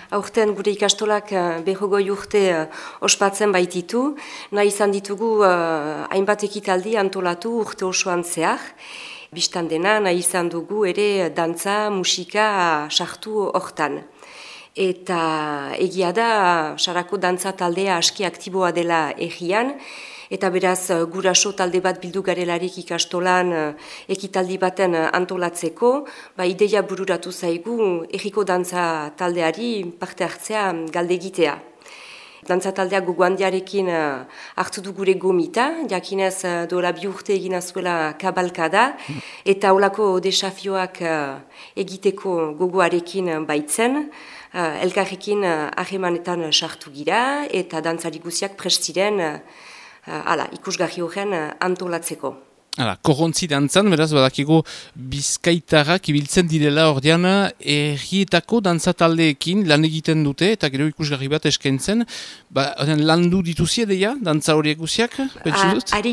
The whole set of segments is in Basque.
Aurten gure ikastolak 20 urte ospatzen baititu, nahi izan ditugu hainbat ekitaldi antolatu urte osoan zehar. Bistan dena nahi izan dugu ere dantza, musika sartu hortan. Eta egia da, sarako dantza taldea aski aktiboa dela egian, eta beraz guraso talde bat bildu garelarik ikastolan ekitaldi baten antolatzeko, ideia bururatu zaigu egiko dantza taldeari parte hartzea galdegitea. Dantza taldeak gogo handiarekin hartu du gure gomita, jakinez dola 2 urte egina zuela kabalkada, eta holako desafioak egiteko gogoarekin baitzen, elkarrekin ahemanetan sartu gira, eta dantzari guziak prest ziren ikusgarri horren antolatzeko. Korrontzi dantzan, beraz, badakigu bizkaitarrak ibiltzen direla ordean errietako dantzataldeekin lan egiten dute, eta gero ikusgarri bat eskaintzen, landu dituzie deia, dantza horiek guziak, pentsu dut? Ari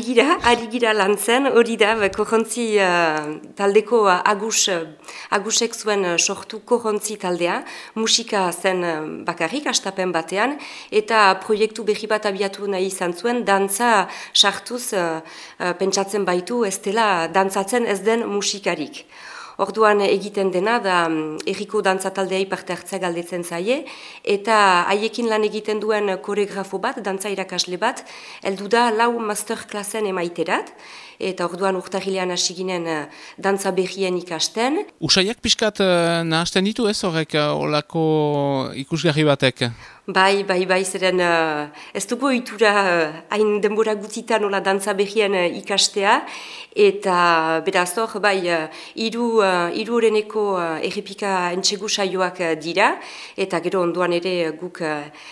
gira lantzen, hori da, korrontzi taldeko agusek zuen sortu korrontzi taldea, musika zen bakarrik, astapen batean, eta proiektu berri bat abiatu nahi izan zuen, dantza sartuz pentsatzen baitu, ez dela dantzatzen ez den musikarik. Orduan egiten dena da erriko dantzataldeai parte hartzea galdetzen zaie, eta haiekin lan egiten duen koreografo bat, dantza irakasle bat, heldu da 4 masterklassen emaiterat, eta orduan urtarrilean hasi ginen dantza berrien ikasten. Usaiak pixkat nahasten ditu ez horrek olako ikusgarri batek? Bai, zeren ez dugu ohitura hain denbora gutitan nola dantza berrien ikastea, eta beraz hor, hiru horreneko errepika entxegu saioak dira, eta gero ondoan ere guk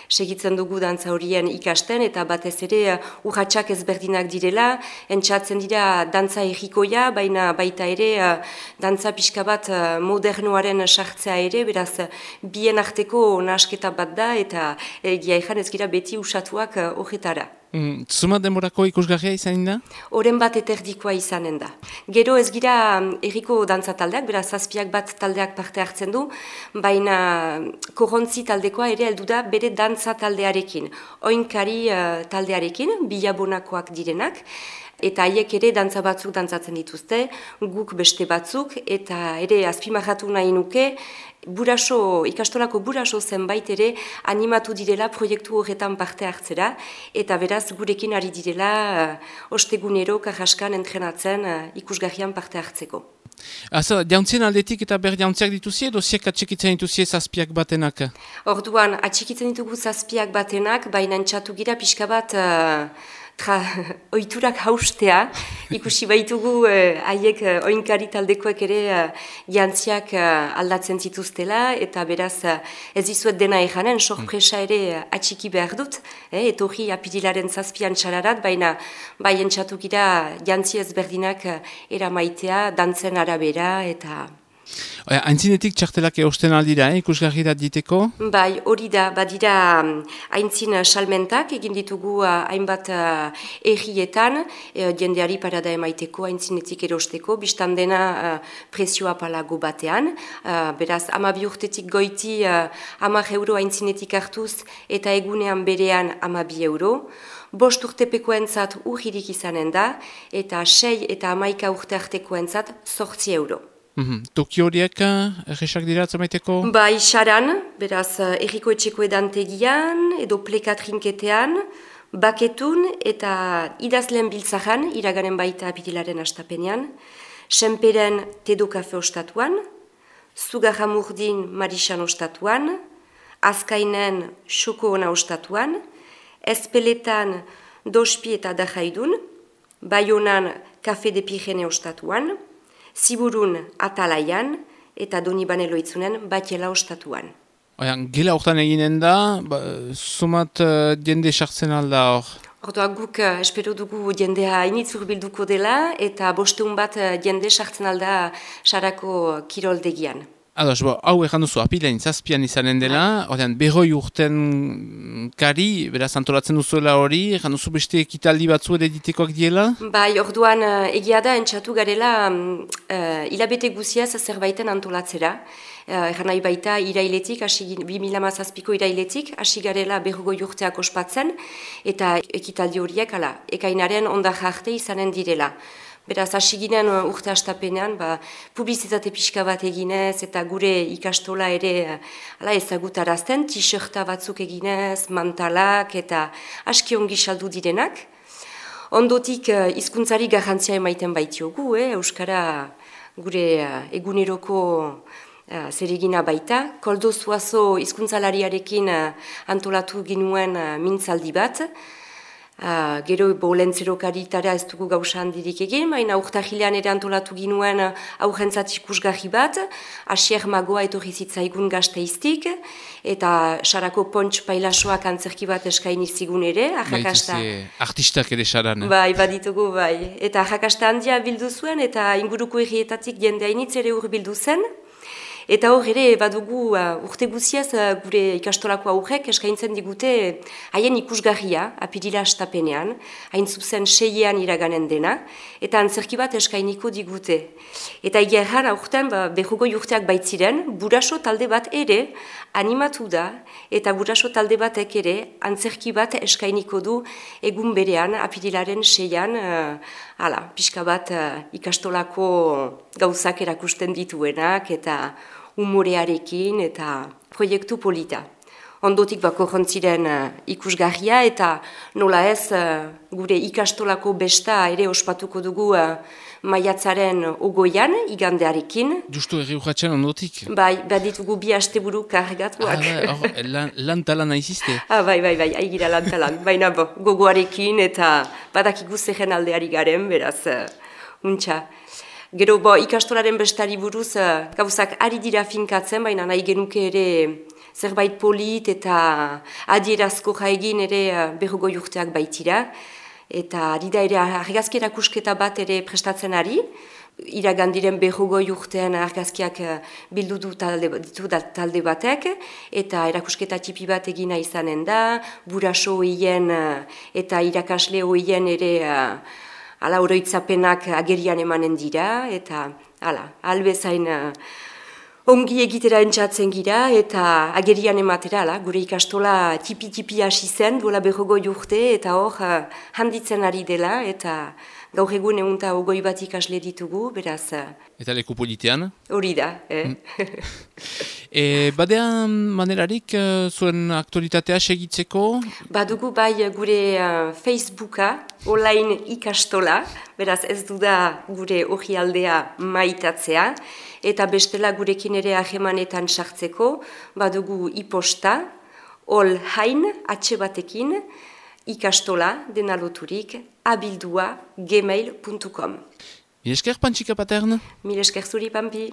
segitzen dugu dantza horien ikasten, eta batez ere urratsak ezberdinak direla, entxatzen dira dantza errikoia, baina baita ere dantza pixka bat modernoaren sartzea ere, beraz bien arteko nahasketa bat da, eta egia ezan ez gira beti usatuak horretara. Zuma denborako ikusgarria izanen da? Oren bat eterdikoa izanen da. Gero ez gira erriko dantza taldeak, beraz 7 bat taldeak parte hartzen du, baina korrontzi taldekoa ere heldu da bere dantza taldearekin. Oinkari taldearekin, bilabonakoak direnak, eta haiek ere dantza batzuk dantzatzen dituzte, guk beste batzuk, eta ere azpimarratu nahi nuke, ikastolako buraso zenbait ere animatu direla proiektu horretan parte hartzera, eta beraz gurekin ari direla ostegunero karraskan entrenatzen ikusgarrian parte hartzeko. Jauntzien aldetik eta ber jauntziak dituzie, edo ziek atxikitzen dituzie 7 batenak? Orduan, atxikitzen ditugu 7 batenak, baina entxatu gira pixka bat ohiturak haustea, ikusi baitugu haiek oinkari taldekoek ere jantziak aldatzen zituztela, eta beraz ez dizuet dena ejanen, sorpresa ere atxiki behar dut, etorri apirilaren 7an txararat, baina bai entxatu gira jantzi ezberdinak eramaitea, dantzen arabera, eta... Aintzinetik txartelak eusten aldira, ikusgarri da diteko? Bai, hori da, badira aintzin salmentak, egin ditugu hainbat errietan, jendeari parada emaiteko, aintzinetik erosteko, biztan dena prezioa palago batean, beraz, 12 urtetik goiti 10 euro aintzinetik hartuz, eta egunean berean 12 euro. 5 urtepekoentzat urririk izanen da, eta 6 eta 11 urte artekoentzat 8 euro. Toki horiek erresak dira atzomaiteko? Bai, xaran, beraz, erriko etxeko edantegian, edo plekatrinketean, baketun eta idazleen biltzaran, iraganen baita apirilaren astapenean, senperen tedo kafe ostatuan, zugarramurdin marisan ostatuan, azkainen xoko ona ostatuan, ezpeletan dospi eta dajaidun, baionan kafe de pijene ostatuan, Ziburun atalaian eta Donibane loitzunen batela ostatuan. Gela hortan eginen da, sumat jende sartzen alda hor? Ordoa guk espero dugu jendea initz urbilduko dela eta 500 bat jende sartzen alda sarako kiroldegian. Ados, hau egan duzu, apilain 7an izanen dela, ordean, 100 urten kari, beraz antolatzen duzuela hori, egan duzu beste ekitaldi batzu ere ditekoak diela? Bai, orduan egia da entxatu garela hilabete guziaz zerbaiten antolatzera, Egan nahi baita irailetik, 2017ko irailetik, hasi garela 40 urteak ospatzen, eta ekitaldi horiek, ekainaren ondak arte izanen direla. Beraz, hasi ginen urte hastapenean, publizitate pixka bat eginez, eta gure ikastola ere ezagutarazten, t-shirta batzuk eginez, mantalak, eta aski ongi saldu direnak. Ondotik hizkuntzari garrantzia emaiten baitiogu, Euskara gure eguneroko zeregina baita. Koldo Zuazo hizkuntzalariarekin antolatu ginuen mintzaldi bat. Gero lentzerokarietara ez dugu gauza handirik egin, baina urtahilean ere antolatu ginuen aurrentzat ikusgarri bat, Asier Magoa etorri zitzaigun Gasteiztik, eta Sarako Pontx Pailasoak antzerki bat eskaini zigun ere, arrakasta. Artistak ere saran. Bai, baditugu, bai. Eta arrakasta handia bildu zuen, eta inguruko herrietatik jende hainitz ere bildu zen. Eta hor ere badugu urte guziaz gure ikastolako aurrek eskaintzen digute haien ikusgarria apirila hastapenean, hain zuzen 6ean iraganen dena, eta antzerki bat eskainiko digute. Eta egerran aurten 40 urteak baitziren, Buraso talde bat ere animatu da, eta Buraso talde batek ere antzerki bat eskainiko du egun berean apirilaren 6ean, pixka bat ikastolako gauzak erakusten dituenak, eta humorearekin eta proiektu polita. Ondotik korrontziren ikusgarria eta nola ez gure ikastolako besta ere ospatuko dugu maiatzaren 20an, igandearekin. Justu erri urratxan ondotik? Bai, baditugu 2 asteburu kargatuak. Lan-talan aizizte? Bai, aigira lan-talan. Baina gogoarekin eta badakigu zehen aldeari garen, beraz, untxa. Gero ikastolaren bestari buruz gauzak ari dira finkatzen, baina nahi genuke ere zerbait polit eta adierazko egin ere 40 urteak baitira. Eta ari da ere argazki erakusketa bat ere prestatzen ari. Iragandiren 40 urtean argazkiak bildu du talde batek, eta erakusketa tipi bat egina izanen da, Buraso hoien eta irakasle hoien ere oroitzapenak agerian emanen dira, eta albezain ongi egitera entzatzen gira, eta agerian ematera, gure ikastola tipi hasi zen, duela 40 urte, eta hor handitzen ari dela, eta gaur egun 120 bat ikasle ditugu, beraz... Eta leku politean? Hori da, Badean manerarik zuen aktualitatea segitzeko? Badugu bai gure Facebooka, online ikastola, beraz ez du da gure orrialdea maitatzea, eta bestela gurekin ere ahemanetan sartzeko, badugu iposta, olhain, batekin, ikastola, dena loturik, abildua, gmail.com. Mil esker, Pantsika Patern? Mil esker zuri, Pampi.